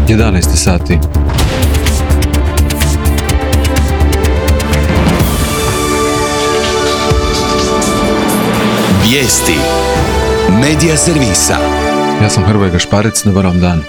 11 sati. Vijesti Medija servisa. Ja sam Hrvoje Gašparec, dobar vam dan.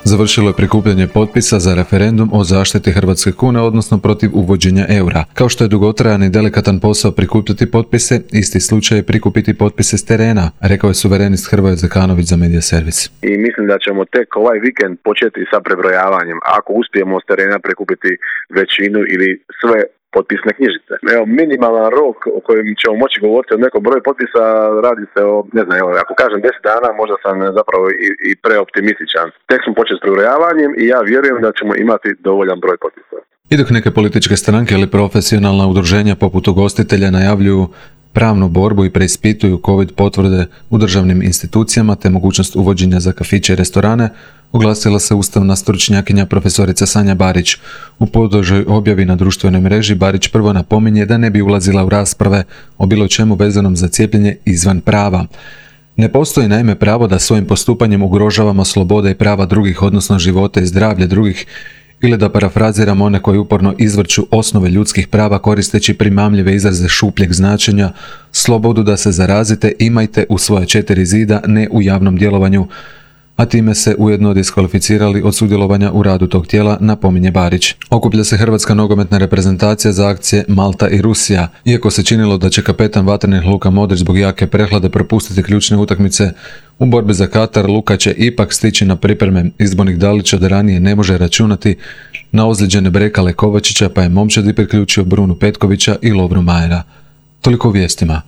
Završilo je prikupljanje potpisa za referendum o zaštiti hrvatske kune, odnosno protiv uvođenja eura. Kao što je dugotrajan i delikatan posao prikupljati potpise, isti slučaj je prikupiti potpise s terena, rekao je suverenist Hrvoje Zekanović za Medija servis. I mislim da ćemo tek ovaj vikend početi sa prebrojavanjem, ako uspijemo s terena prikupiti većinu ili sve potpisne knjižice. Evo, minimalan rok o kojem ćemo moći govoriti o nekom broju potpisa, radi se o, ne znam, evo, ako kažem 10 dana, možda sam zapravo i preoptimističan. Tek smo počeli s prebrojavanjem i ja vjerujem da ćemo imati dovoljan broj potpisa. I dok neke političke stranke ili profesionalna udruženja poput ugostitelja najavljuju pravnu borbu i preispituju COVID potvrde u državnim institucijama te mogućnost uvođenja za kafiće i restorane, oglasila se ustavna stručnjakinja profesorica Sanja Barić. U podužoj objavi na društvenoj mreži Barić prvo napominje da ne bi ulazila u rasprave o bilo čemu vezanom za cijepljenje izvan prava. Ne postoji naime pravo da svojim postupanjem ugrožavamo slobode i prava drugih, odnosno života i zdravlje drugih, ili da parafraziramo one koji uporno izvrću osnove ljudskih prava koristeći primamljive izraze šupljeg značenja: slobodu da se zarazite imajte u svoje 4 zida, ne u javnom djelovanju, a time se ujedno diskvalificirali od sudjelovanja u radu tog tijela, napominje Barić. Okuplja se hrvatska nogometna reprezentacija za akcije Malta i Rusija. Iako se činilo da će kapetan vatrenih Luka Modrić zbog jake prehlade propustiti ključne utakmice u borbi za Katar, Luka će ipak stići na pripreme. Izbornik Dalića da ranije ne može računati na ozlijeđene Brekale Kovačića, pa je momčadi priključio Brunu Petkovića i Lovru Majera. Toliko u vijestima.